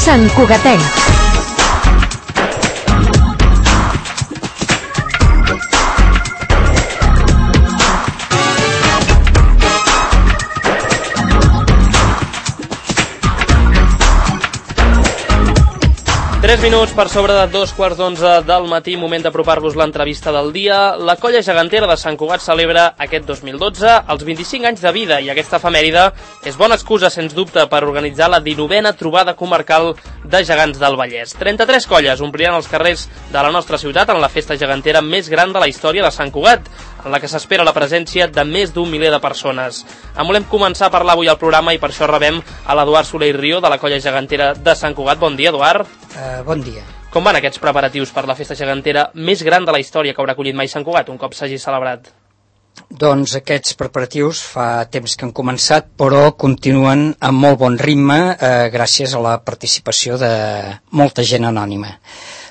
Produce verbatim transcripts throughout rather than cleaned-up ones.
Sant Cugatenc. Tres minuts per sobre de dos quarts d'onze del matí, moment d'apropar-vos l'entrevista del dia. La Colla Gegantera de Sant Cugat celebra aquest dos mil dotze els vint-i-cinc anys de vida i aquesta efemèride és bona excusa, sens dubte, per organitzar la dinovena trobada comarcal de gegants del Vallès. trenta-tres colles ompliran els carrers de la nostra ciutat en la festa gegantera més gran de la història de Sant Cugat, en la que s'espera la presència de més d'un miler de persones. En volem començar a parlar avui al programa i per això rebem a l'Eduard Soler i Rio de la Colla Gegantera de Sant Cugat. Bon dia, Eduard. Uh, bon dia. Com van aquests preparatius per la festa gegantera més gran de la història que haurà acollit mai Sant Cugat, un cop s'hagi celebrat? Doncs aquests preparatius fa temps que han començat, però continuen amb molt bon ritme eh, gràcies a la participació de molta gent anònima.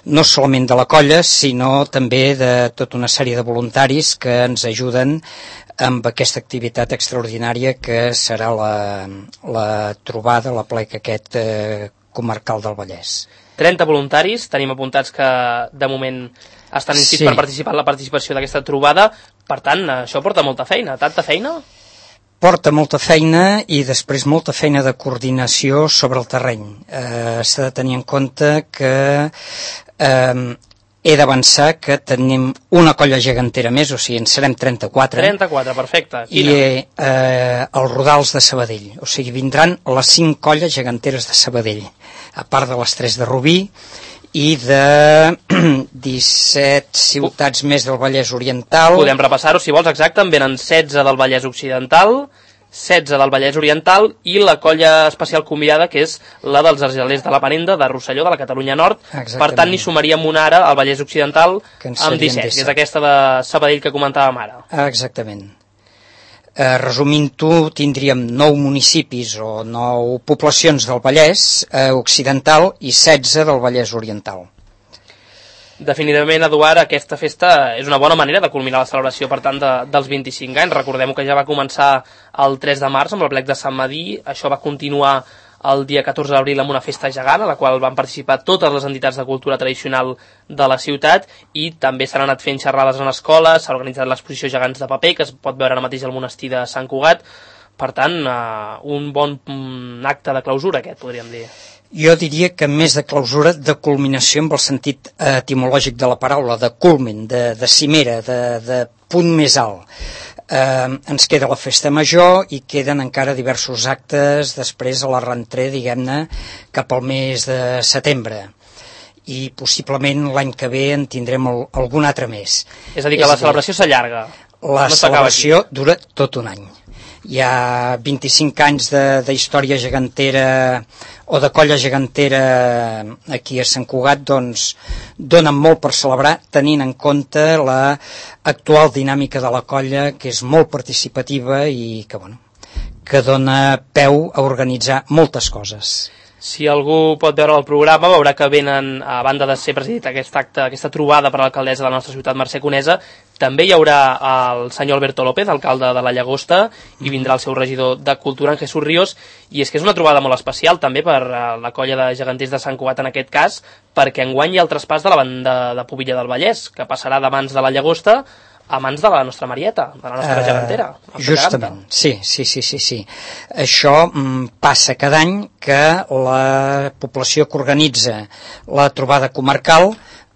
No solament de la colla, sinó també de tota una sèrie de voluntaris que ens ajuden amb aquesta activitat extraordinària que serà la, la trobada, la pleca aquest eh, comarcal del Vallès. trenta voluntaris, tenim apuntats que de moment estan inscrits sí. per participar en la participació d'aquesta trobada, per tant, això porta molta feina. Tanta feina? Porta molta feina i després molta feina de coordinació sobre el terreny. Eh, s'ha de tenir en compte que eh, he d'avançar que tenim una colla gegantera més, o sigui, en serem trenta-quatre. trenta-quatre, perfecte. Quina? I eh, els Rodals de Sabadell. O sigui, vindran les cinc colles geganteres de Sabadell, a part de les tres de Rubí, i de disset ciutats uh. més del Vallès Oriental. Podem repassar-ho, si vols, exacte, en venen setze del Vallès Occidental, setze del Vallès Oriental i la colla especial convidada, que és la dels Argelers de la Penenda, de Rosselló, de la Catalunya Nord. Exactament. Per tant, n'hi sumaríem una ara al Vallès Occidental amb disset, disset, que és aquesta de Sabadell que comentàvem ara. Exactament. Eh, resumint-ho, tindríem nou municipis o nou poblacions del Vallès eh, Occidental i setze del Vallès Oriental. Definitivament, Eduard, aquesta festa és una bona manera de culminar la celebració, per tant, de, dels vint-i-cinc anys. Recordem que ja va començar el tres de març amb el plec de Sant Madí, això va continuar el dia catorze d'abril amb una festa gegant, a la qual van participar totes les entitats de cultura tradicional de la ciutat, i també s'han anat fent xerrades en escoles, s'ha organitzat l'exposició Gegants de Paper, que es pot veure ara mateix al monestir de Sant Cugat. Per tant, uh, un bon um, acte de clausura, aquest, podríem dir. Jo diria que més de clausura, de culminació amb el sentit etimològic de la paraula, de culmen, de, de cimera, de, de punt més alt. Eh, ens queda la festa major i queden encara diversos actes després a la rentrée, diguem-ne, cap al mes de setembre. I possiblement l'any que ve en tindrem el, algun altre més. És a dir, que és la celebració s'allarga. La no celebració dura tot un any. Hi ha vint-i-cinc anys d'història gegantera o de colla gegantera aquí a Sant Cugat, doncs donen molt per celebrar, tenint en compte l'actual dinàmica de la colla, que és molt participativa i que, bueno, que dona peu a organitzar moltes coses. Si algú pot veure el programa, veurà que venen, a banda de ser presidit aquest acte, aquesta trobada per a l'alcaldessa de la nostra ciutat, Mercè Conesa, també hi haurà el senyor Alberto López, alcalde de la Llagosta, i vindrà el seu regidor de Cultura, en Jesús Ríos, i és que és una trobada molt especial també per la colla de geganters de Sant Cugat en aquest cas, perquè enguany hi ha el traspàs de la banda de Pobilla del Vallès, que passarà de mans de la Llagosta a mans de la nostra Marieta, de la nostra uh, gegantera. Justament, sí, sí, sí, sí, sí. Això mm, passa cada any que la població que organitza la trobada comarcal,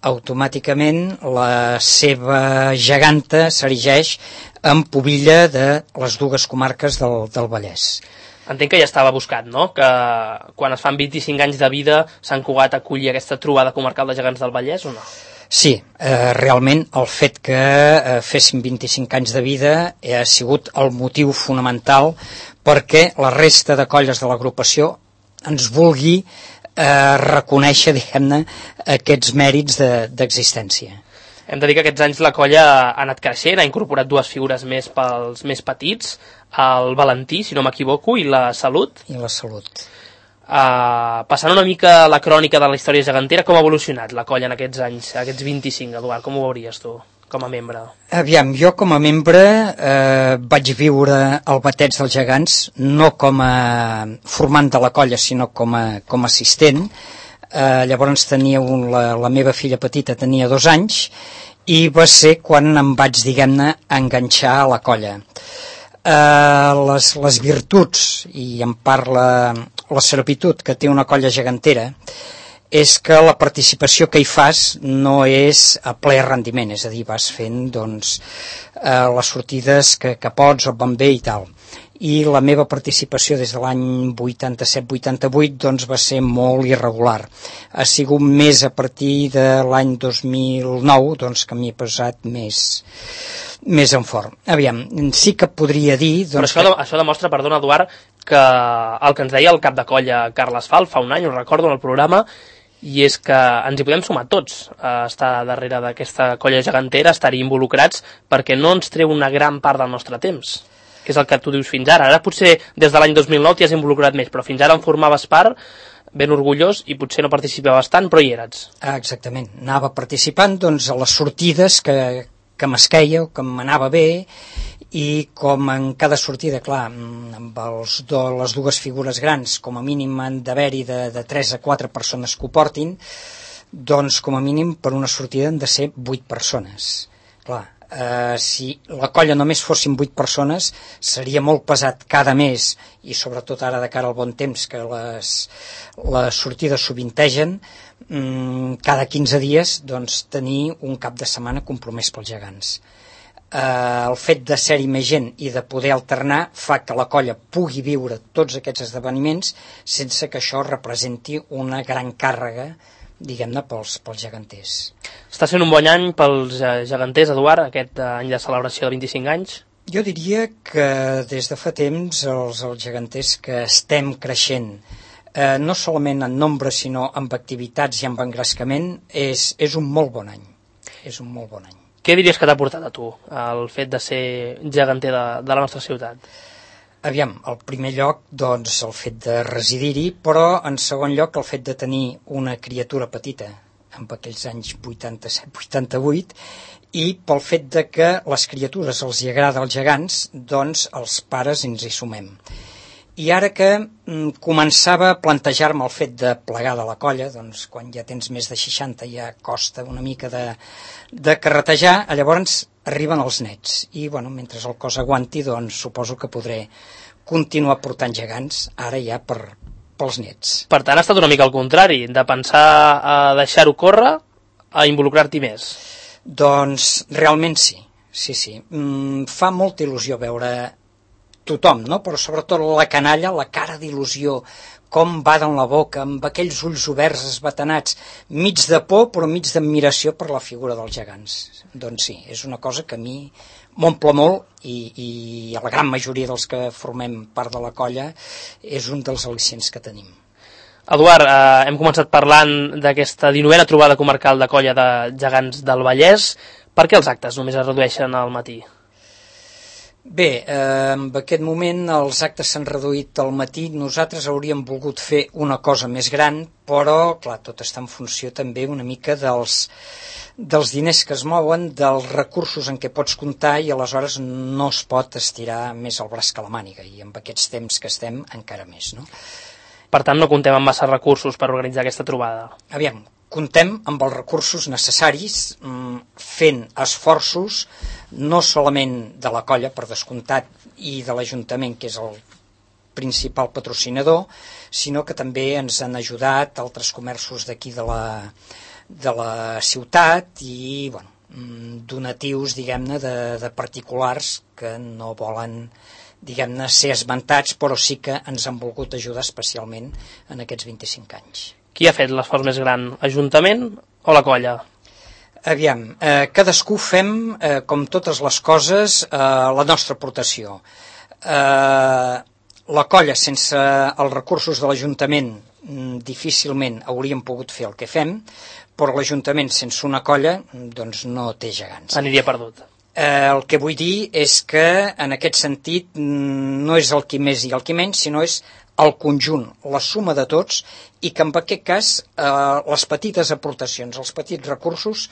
automàticament la seva geganta s'erigeix en Pobilla de les dues comarques del, del Vallès. Entenc que ja estava buscat, no?, que quan es fan vint-i-cinc anys de vida Sant Cugat aculli aquesta trobada comarcal de gegants del Vallès, o no? Sí, eh, realment el fet que eh, féssim vint-i-cinc anys de vida ha sigut el motiu fonamental perquè la resta de colles de l'agrupació ens vulgui eh, reconèixer, diguem-ne, aquests mèrits d'existència. Hem de dir que aquests anys la colla ha anat creixent, ha incorporat dues figures més pels més petits, el Valentí, si no m'equivoco, i la Salut. I la Salut. Uh, passant una mica la crònica de la història gegantera, com ha evolucionat la colla en aquests anys, aquests vint-i-cinc, Eduard, com ho veuries tu? com a membre? Aviam, jo com a membre eh, vaig viure el Bateig dels Gegants, no com a formant de la colla, sinó com a, com a assistent. Eh, llavors tenia un, la, la meva filla petita tenia dos anys i va ser quan em vaig, diguem-ne, enganxar a la colla. Eh, les, les virtuts, i en parla la servitud que té una colla gegantera, és que la participació que hi fas no és a ple rendiment, és a dir, vas fent doncs, eh, les sortides que, que pots o van bé i tal. I la meva participació des de l'any vuitanta-set vuitanta-vuit doncs, va ser molt irregular. Ha sigut més a partir de l'any dos mil nou doncs, que m'hi he posat més, més en fort. Aviam, sí que podria dir... Doncs, Però això, que... això demostra, perdona Eduard, que el que ens deia el cap de colla Carles Fal fa un any, ho recordo en el programa, i és que ens hi podem sumar tots a estar darrere d'aquesta colla gegantera, a estar-hi involucrats, perquè no ens treu una gran part del nostre temps, que és el que tu dius fins ara. Ara potser des de l'any dos mil nou t'hi has involucrat més, però fins ara en formaves part, ben orgullós, i potser no participaves tant, però hi eres. Ah, exactament, anava participant doncs, a les sortides que, que m'esqueia o que m'anava bé, i com en cada sortida, clar, amb els do, les dues figures grans, com a mínim han d'haver-hi de, de tres a quatre persones que ho portin, doncs com a mínim per una sortida han de ser vuit persones. Clar, eh, si la colla només fossin vuit persones, seria molt pesat cada mes, i sobretot ara de cara al bon temps, que les, les sortides sovintegen, mmm, cada quinze dies, doncs tenir un cap de setmana compromès pels gegants. Uh, el fet de ser-hi més gent i de poder alternar fa que la colla pugui viure tots aquests esdeveniments sense que això representi una gran càrrega, diguem-ne, pels, pels geganters. Està sent un bon any pels geganters, Eduard, aquest any de celebració de vint-i-cinc anys? Jo diria que des de fa temps els, els geganters que estem creixent, eh, no solament en nombre sinó amb activitats i amb engrescament, és, és un molt bon any. És un molt bon any. Què diries que t'ha portat a tu el fet de ser geganter de, de la nostra ciutat? Aviam, al primer lloc, doncs, el fet de residir-hi, però en segon lloc el fet de tenir una criatura petita, en aquells anys vuitanta-set vuitanta-vuit, i pel fet de que les criatures els hi agrada als gegants, doncs els pares ens hi sumem. I ara que mm, començava a plantejar-me el fet de plegar de la colla, doncs quan ja tens més de seixanta ja costa una mica de, de carretejar, llavors arriben els nets. I bueno, mentre el cos aguanti, doncs suposo que podré continuar portant gegants, ara ja per, pels nets. Per tant, ha estat una mica al contrari, de pensar a deixar-ho córrer a involucrar-t'hi més. Doncs realment sí, sí, sí. Mm, fa molta il·lusió veure tothom, no? Però sobretot la canalla, la cara d'il·lusió, com baden la boca, amb aquells ulls oberts esbatanats, mig de por però mig d'admiració per la figura dels gegants. Doncs sí, és una cosa que a mi m'omple molt i, i a la gran majoria dels que formem part de la colla és un dels al·licients que tenim. Eduard, eh, hem començat parlant d'aquesta dinovena trobada comarcal de colla de gegants del Vallès. Per què els actes només es redueixen al matí? Bé, eh, en aquest moment els actes s'han reduït al matí. Nosaltres hauríem volgut fer una cosa més gran, però, clar, tot està en funció també una mica dels, dels diners que es mouen, dels recursos en què pots comptar, i aleshores no es pot estirar més el braç que la màniga, i amb aquests temps que estem encara més, no? Per tant, no comptem amb massa recursos per organitzar aquesta trobada. Aviam, comptem amb els recursos necessaris, fent esforços, no solament de la colla, per descomptat, i de l'Ajuntament, que és el principal patrocinador, sinó que també ens han ajudat altres comerços d'aquí de la, de la ciutat i bueno, donatius, diguem-ne, de, de particulars que no volen, diguem-ne, ser esmentats, però sí que ens han volgut ajudar especialment en aquests vint-i-cinc anys. Qui ha fet l'esforç més gran, Ajuntament o la colla? Aviam, eh, cadascú fem, eh, com totes les coses, eh, la nostra aportació. Eh, la colla, sense els recursos de l'Ajuntament, difícilment hauríem pogut fer el que fem, però l'Ajuntament sense una colla doncs no té gegants. Aniria perdut. Eh, el que vull dir és que en aquest sentit no és el qui més i el qui menys, sinó és el conjunt, la suma de tots, i que en aquest cas eh, les petites aportacions, els petits recursos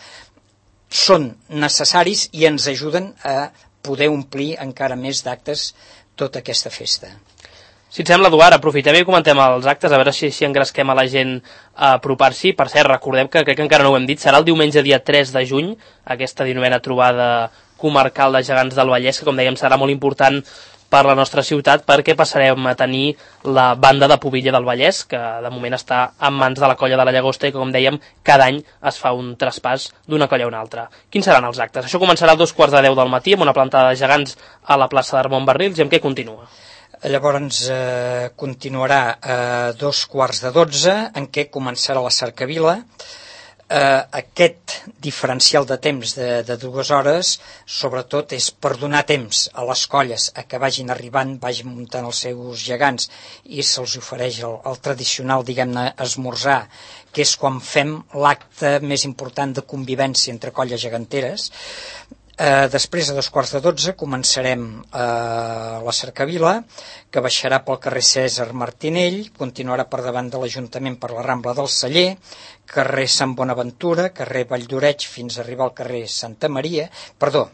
són necessaris i ens ajuden a poder omplir encara més d'actes tota aquesta festa. Si et sembla, Eduard, aprofitem i comentem els actes, a veure si, si engresquem a la gent a apropar-s'hi. Per cert, recordem que crec que encara no ho hem dit, serà el diumenge dia tres de juny, aquesta dinovena trobada comarcal de gegants del Vallès, que com dèiem serà molt important per la nostra ciutat, perquè passarem a tenir la banda de Pubilla del Vallès, que de moment està en mans de la colla de la Llagosta i que, com dèiem, cada any es fa un traspàs d'una colla a una altra. Quins seran els actes? Això començarà a dos quarts de deu del matí amb una plantada de gegants a la plaça d'Armont Barrils, i amb què continua? Llavors eh, continuarà a dos quarts de dotze, en què començarà la cercavila. Eh, aquest diferencial de temps de, de dues hores sobretot és per donar temps a les colles a que vagin arribant, vagin muntant els seus gegants i se'ls ofereix el, el tradicional, diguem-ne, esmorzar, que és quan fem l'acte més important de convivència entre colles geganteres. Eh, després, a dos quarts de dotze, començarem eh, la cercavila, que baixarà pel carrer Cèsar Martinell, continuarà per davant de l'Ajuntament per la Rambla del Celler, carrer Sant Bonaventura, carrer Valldoreix fins a arribar al carrer Santa Maria, perdó,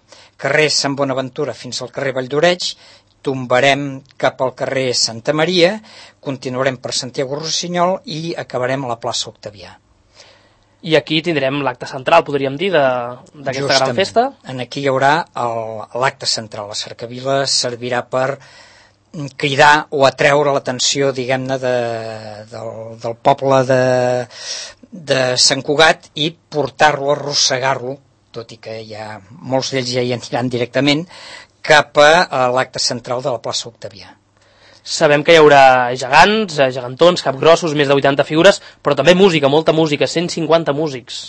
carrer Sant Bonaventura fins al carrer Valldoreix, tombarem cap al carrer Santa Maria, continuarem per Santiago Rossinyol i acabarem a la plaça Octavià. I aquí tindrem l'acte central, podríem dir, d'aquesta gran festa. En aquí hi haurà l'acte central. La cercavila servirà per cridar o atreure l'atenció, diguem-ne, de, del, del poble de, de Sant Cugat i portar-lo, arrossegar-lo, tot i que hi ha molts d'ells ja hi aniran directament, cap a l'acte central de la plaça Octavià. Sabem que hi haurà gegants, gegantons, capgrossos, més de vuitanta figures, però també música, molta música, cent cinquanta músics.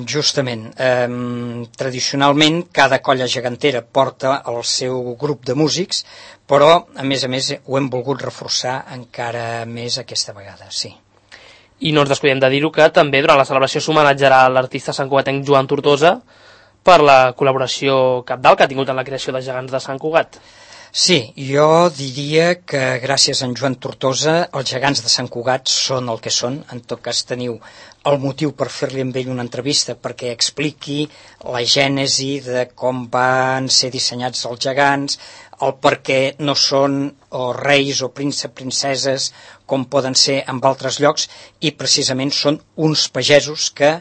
Justament. Eh, tradicionalment, cada colla gegantera porta el seu grup de músics, però, a més a més, ho hem volgut reforçar encara més aquesta vegada, sí. I no ens descuidem de dir-ho que també durant la celebració s'homenatjarà l'artista santcugatenc Joan Tortosa per la col·laboració cabdal que ha tingut en la creació de gegants de Sant Cugat. Sí, jo diria que gràcies a en Joan Tortosa els gegants de Sant Cugat són el que són. En tot cas teniu el motiu per fer-li amb ell una entrevista perquè expliqui la gènesi de com van ser dissenyats els gegants, el per què no són o reis o prínceps, princeses com poden ser en altres llocs, i precisament són uns pagesos que,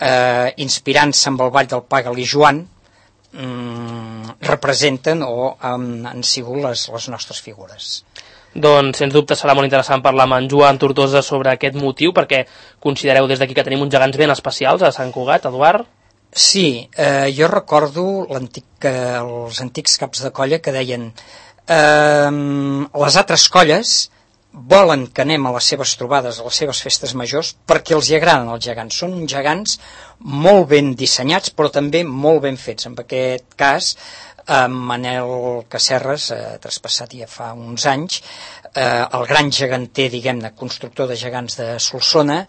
eh, inspirant-se amb el ball del Pagal i Joan, representen o han, han sigut les, les nostres figures. Doncs, sens dubte, serà molt interessant parlar amb en Joan Tortosa sobre aquest motiu, perquè considereu des d'aquí que tenim uns gegants ben especials a Sant Cugat, Eduard? Sí, eh, jo recordo l'antic, eh, els antics caps de colla que deien eh, les altres colles volen que anem a les seves trobades, a les seves festes majors, perquè els hi agraden els gegants. Són gegants molt ben dissenyats, però també molt ben fets. En aquest cas, eh, Manel Casserres, eh, traspassat ja fa uns anys, eh, el gran geganter, diguem-ne, constructor de gegants de Solsona,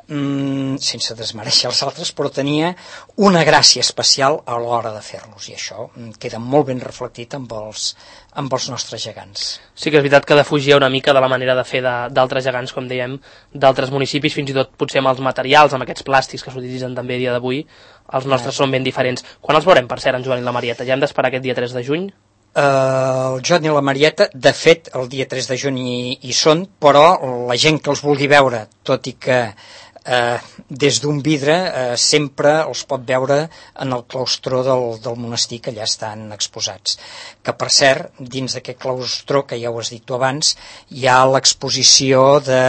mm, sense desmereixer els altres, però tenia una gràcia especial a l'hora de fer-los, i això queda molt ben reflectit amb els, amb els nostres gegants. Sí que és veritat que defugia una mica de la manera de fer d'altres gegants, com dèiem, d'altres municipis, fins i tot potser amb els materials, amb aquests plàstics que s'utilitzen també a dia d'avui, els nostres ah. són ben diferents. Quan els veurem, per cert, en Joan i la Marieta? Ja hem d'esperar aquest dia tres de juny? Uh, el Joan i la Marieta, de fet, el dia tres de juny hi, hi són, però la gent que els vulgui veure, tot i que Uh, des d'un vidre uh, sempre els pot veure en el claustró del, del monestir, que allà estan exposats, que per cert dins d'aquest claustró, que ja ho has dit tu abans, hi ha l'exposició de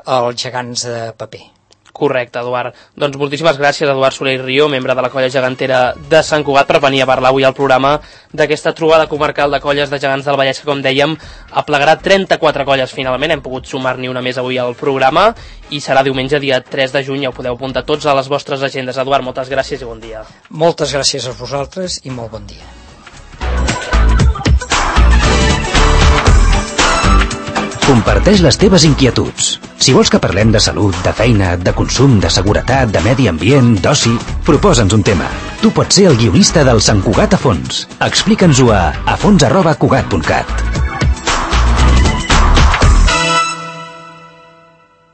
els gegants de paper. Correcte, Eduard. Doncs moltíssimes gràcies, Eduard Soler i Rio, membre de la colla gegantera de Sant Cugat, per venir a parlar avui al programa d'aquesta trobada comarcal de colles de gegants del Vallès, que, com dèiem, aplegarà trenta-quatre colles finalment. Hem pogut sumar-n'hi una més avui al programa i serà diumenge dia tres de juny. Ja ho podeu apuntar tots a les vostres agendes. Eduard, moltes gràcies i bon dia. Moltes gràcies a vosaltres i molt bon dia. Comparteix les teves inquietuds. Si vols que parlem de salut, de feina, de consum, de seguretat, de medi ambient, d'oci, proposa'ns un tema. Tu pots ser el guionista del Sant Cugat a fons. Explica'ns-ho a afons arroba cugat punt cat.